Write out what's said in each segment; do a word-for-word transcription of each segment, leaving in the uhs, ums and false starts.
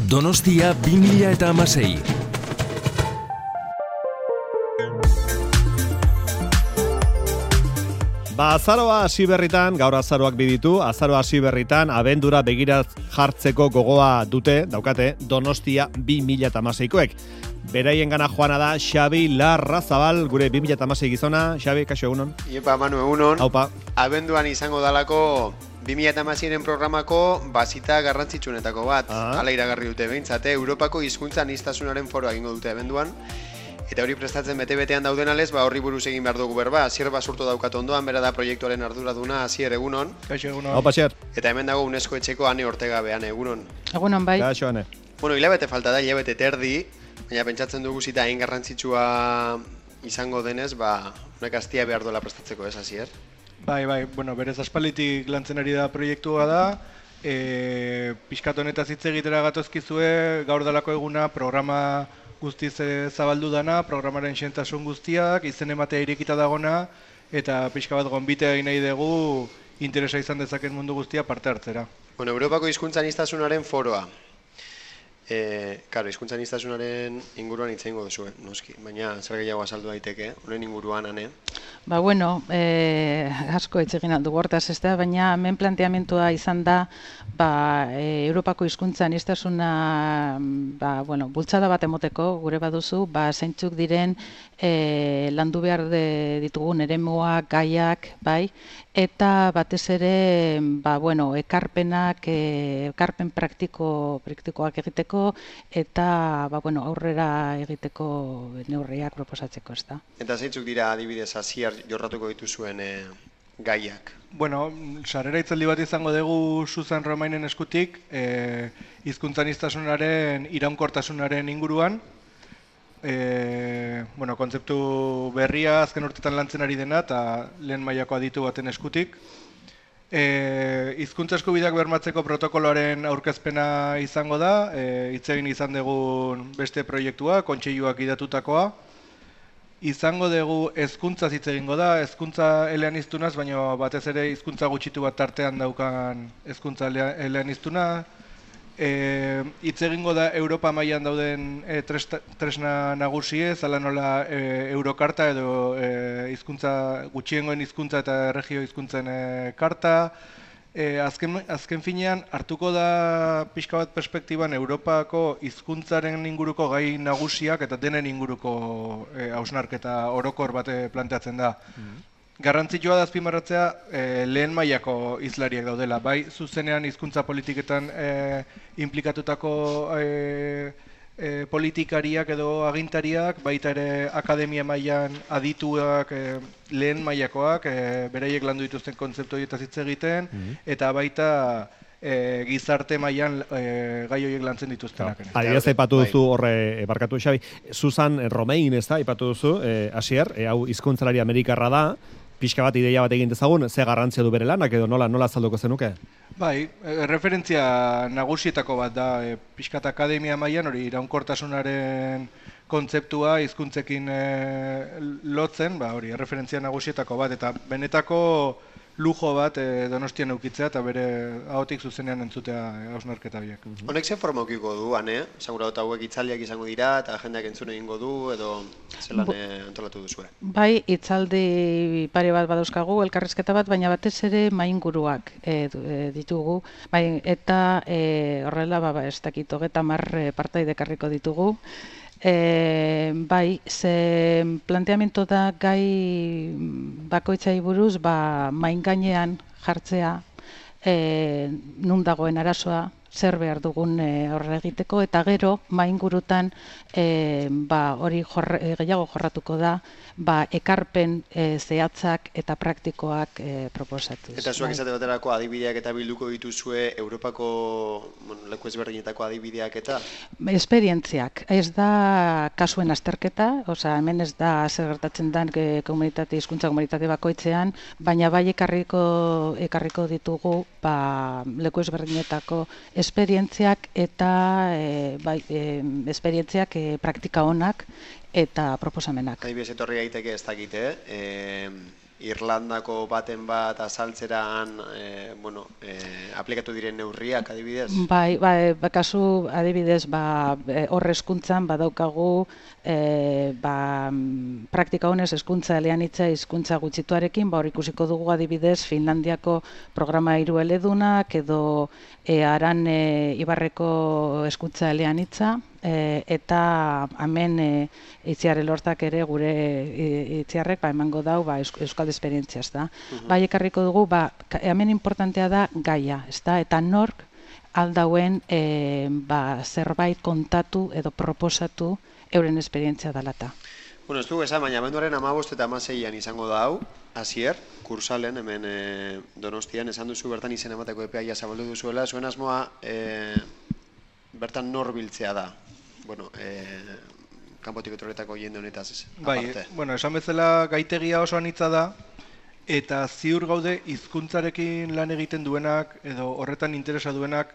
Donostia bi mila hamasei. Ba, azaroa hasi berritan, gaur azaroak biditu, azaroa hasi berritan, abendura begira jartzeko gogoa dute, daukate, Donostia bi mila hamaseikoek. Beraien gana joana da Xabi Larrazabal, gure bi mila hamasei gizona. Xabi, kaixo, egunon? Iepa, Manu, egunon. Haupa. Abenduan izango dalako bi mila hamaseiren programako bazita garrantzitsuenetako bat. Ah. Hala iragarri dute behintzate, Europako hizkuntza aniztasunaren foroa egingo dute abenduan. Eta hori prestatzen bete-betean dauden alez, ba horri buruz egin behar dugu berba. Asier basurto daukat ondoan, bera da proiektuaren arduraduna. Asier, egunon. Kaixo, egunon. Haupa, Asier. Eta hemen dago UNESCO etxeko Ane Ortega behan, egunon. Egunon bai. Kaixo, Ane. Bueno, hilabete falta da, hilabete terdi, baina pentsatzen dugu zita hain garrantzitsua izango denez, ba, honek astia behar duela prestatzeko, ez, Asier? Bai, bai, bueno, berez aspalditik lantzen ari da proiektua da, e, pixkat honetaz hitz egitera gatozkizue, gaur dalako eguna programa guztiz e, zabaldu dana, programaren xentasun guztiak, izen ematea irekita dagona, eta pixka bat gonbitea egin nahi dugu interesa izan dezaken mundu guztia parte hartzera. Bueno, Europako hizkuntza aniztasunaren foroa. Eh, claro, hizkuntza aniztasunaren inguruan hitz egingo duzu, noski, baina zer gehiago azaldu daiteke, honen inguruan, Ane? Ba, bueno, eh, asko hitz egin aldu hortaz, ez da, baina hemen planteamentua izan da, ba, e, Europako hizkuntza aniztasuna, ba, bueno, bultzada bat emoteko, gure baduzu, ba, zeintzuk diren e, landu behar de, ditugun eremuak, gaiak, bai, eta batez ere, ba, bueno, ekarpenak, e, ekarpen praktiko, praktikoak egiteko, eta ba, bueno, aurrera egiteko neurriak proposatzeko, ez da. Eta zeintzuk dira adibidez Asier jorratuko dituzuen e, gaiak? Bueno, sarrera hitzaldi bat izango dugu Susan Romainen eskutik, e, hizkuntza aniztasunaren iraunkortasunaren inguruan. E, bueno, kontzeptu berria azken urtetan lantzen ari dena eta lehen mailako aditu baten eskutik. E, hizkuntza eskubideak bermatzeko protokoloaren aurkezpena izango da, e, hitz egin izan dugun beste proiektua, kontseiluak idatutakoa. Izango dugu hezkuntzaz hitz egingo da, hezkuntza eleaniztunaz, baina batez ere hizkuntza gutxitu bat tartean daukan hezkuntza eleaniztuna. E, hitz egingo da Europa mailan dauden e, tresna, tresna nagusiez, ala nola e, Eurokarta edo e, hizkuntza gutxiengoen hizkuntza eta erregio hizkuntzen e, karta. E, azken, azken finean hartuko da pixka bat perspektiban Europako hizkuntzaren inguruko gai nagusiak eta denen inguruko e, hausnarketa orokor bate planteatzen da. Mm-hmm. Garrantzitsua da azpimarratzea e, lehen mailako hizlariak daudela, bai zuzenean hizkuntza politiketan e, implikatutako e, e, politikariak edo agintariak, baita ere akademia mailan adituak, e, lehen mailakoak, e, beraiek landu dituzten kontzeptu horietaz hitz egiten, mm-hmm. eta baita e, gizarte mailan e, gai horiek lantzen dituztenak. No. Adibidez, aipatu duzu horre, barkatu Xabi, Susan Romain, ez da, aipatu duzu, e, Asier, e, hau hizkuntzalari amerikarra da, pixka bat ideia bat egin dezagun, ze garrantzia du bere lanak edo nola nola azalduko zenuke? Bai, e, referentzia nagusietako bat da, e, pixkat akademia mailan hori iraunkortasunaren kontzeptua hizkuntzekin e, lotzen, ba hori, referentzia nagusietako bat, eta benetako lujo bat e, Donostian eukitzea eta bere ahotik zuzenean entzutea hausnarketa biak. Honek zen forma eukiko du, Ane? Segura dut hauek hitzaldiak izango dira eta jendeak entzun egingo du edo zelan antolatu duzue? Bai, hitzaldi pare bat badauzkagu, elkarrizketa bat, baina batez ere mainguruak e, ditugu. Bai, eta e, horrela, ba, ez dakit, hogeita hamar partaide ekarriko ditugu. E, bai, ze planteamendu da gai bakoitzai buruz, ba, main gainean jartzea, e, nun dagoen arazoa, zer behar dugun e, horre egiteko, eta gero, maingurutan e, ba, hori jorre, gehiago jorratuko da, ba, ekarpen e, zehatzak eta praktikoak e, proposatuz. Eta zuak izate baterako adibideak eta bilduko dituzue Europako bueno, leku ezberdinetako adibideak eta? Esperientziak. Ez da kasuen azterketa, osea, hemen ez da zer gertatzen den komunitate, hizkuntza komunitate bakoitzean, baina bai ekarriko, ekarriko ditugu ba, leku ezberdinetako esperientziak eta e, bai, e, esperientziak e, praktika onak eta proposamenak. Adibidez etorri daiteke ez dakite, eh, Irlandako baten bat azaltzeran, e, bueno, e, aplikatu diren neurriak adibidez? Bai, bai, kasu adibidez, ba, hor hezkuntzan badaukagu e, ba, praktika honez hezkuntza eleanitza hizkuntza gutxituarekin, ba, hor ikusiko dugu adibidez Finlandiako programa hiru eledunak edo e, Aran e, Ibarreko hezkuntza eleanitza, E, eta hemen e, Itziar Elortak ere gure e, Itziarrek ba, emango dau ba, euskal esperientzia, ez da. Uh-huh. Bai, ekarriko dugu, ba, hemen importantea da gaia, ez da, eta nork aldauen e, ba, zerbait kontatu edo proposatu euren esperientzia dalata. Bueno, ez dugu esan, baina abenduaren hamabost eta hamaseian izango da hau, Asier, kursalen, hemen e, Donostian, esan duzu bertan izen emateko epeaia zabaldu duzuela, zuen asmoa e, bertan nor biltzea da. Bueno, eh, kanpotik etorretako jende honetaz ez, bai, aparte. Bueno, esan bezala gaitegia oso anitza da, eta ziur gaude hizkuntzarekin lan egiten duenak, edo horretan interesa duenak,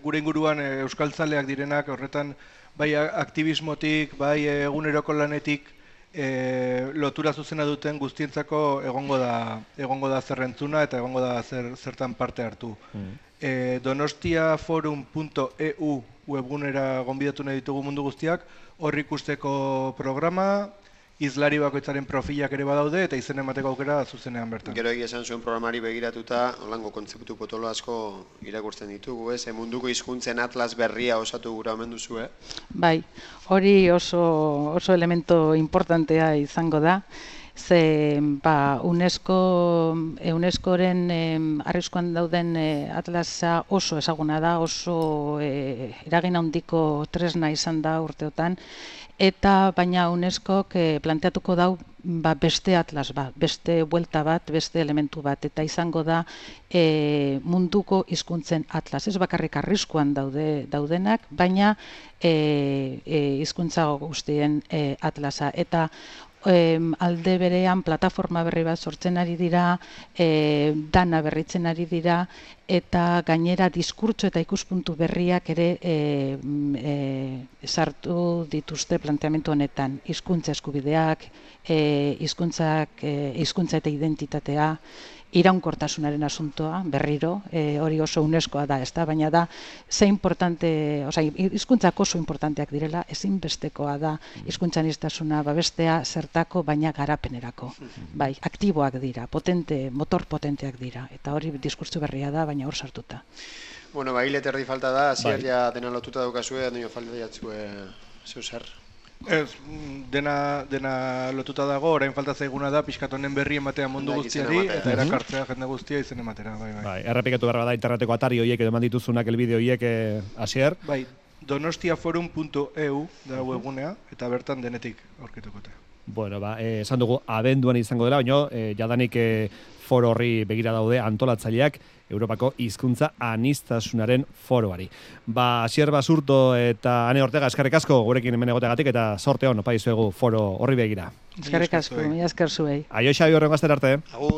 gure inguruan e, euskaltzaleak direnak, horretan bai aktivismotik, bai eguneroko lanetik, e, lotura zuzena duten guztientzako egongo da, egongo da zerrentzuna eta egongo da zer, zertan parte hartu. Mm. E, donostiaforum punto e u webgunera gonbidatu nahi ditugu mundu guztiak, hor ikusteko programa, izlari bakoitzaren profilak ere badaude eta izen emateko aukera zuzenean bertan. Gero egia esan zuen programari begiratuta, holango kontzeptu potolo asko irakurtzen ditugu, ez? Munduko hizkuntzen atlas berria osatu gura omen duzu, eh? Bai, hori oso, oso elemento importantea izango da. Ze ba, UNESCO, UNESCOren eh, arriskuan dauden eh, atlasa oso ezaguna da, oso eh, eragin handiko tresna izan da urteotan, eta baina UNESCOk eh, planteatuko dau ba, beste atlas bat, beste buelta bat, beste elementu bat, eta izango da eh, munduko hizkuntzen atlas. Ez bakarrik arriskuan daude daudenak, baina eh, eh, hizkuntza guztien eh, atlasa. Eta E, alde berean plataforma berri bat sortzen ari dira, e, dana berritzen ari dira, eta gainera diskurtso eta ikuspuntu berriak ere e, e, sartu dituzte planteamendu honetan. Hizkuntza eskubideak, e, hizkuntzak, e, hizkuntza eta identitatea, iraunkortasunaren asuntoa, berriro, e, hori oso UNESCOa da, ez da, baina da, ze importante, oza, hizkuntzak oso importanteak direla, ezinbestekoa da, hizkuntzaniztasuna babestea zertako, baina garapenerako. Bai, aktiboak dira, potente, motor potenteak dira, eta hori diskurtso berria da, baina hor sartuta. Bueno, ba, hile terdi falta da, zier ja dena lotuta daukazue, dino falta jatzue zeu zer. Ez, dena, dena lotuta dago, orain falta zaiguna da, pixkat honen berri ematea mundu guztiari, eta erakartzea jende guztia izen ematera. Bai, bai. Bai, errepikatu behar da interneteko atari horiek edo eman dituzunak elbide horiek, Asier? Bai, donostiaforum punto e u da webgunea, eta bertan denetik aurkitukote. Bueno, ba, eh, esan dugu abenduan izango dela, baina eh, jadanik eh, foro horri begira daude antolatzaileak Europako hizkuntza anistasunaren foroari. Ba, Asier Basurto eta Ane Ortega eskerrik asko gurekin hemen egoteagatik eta sorte on opa dizuegu foro horri begira. Eskerrik asko, mila esker zuei. Aio Xabi horrengo astera arte. Agur.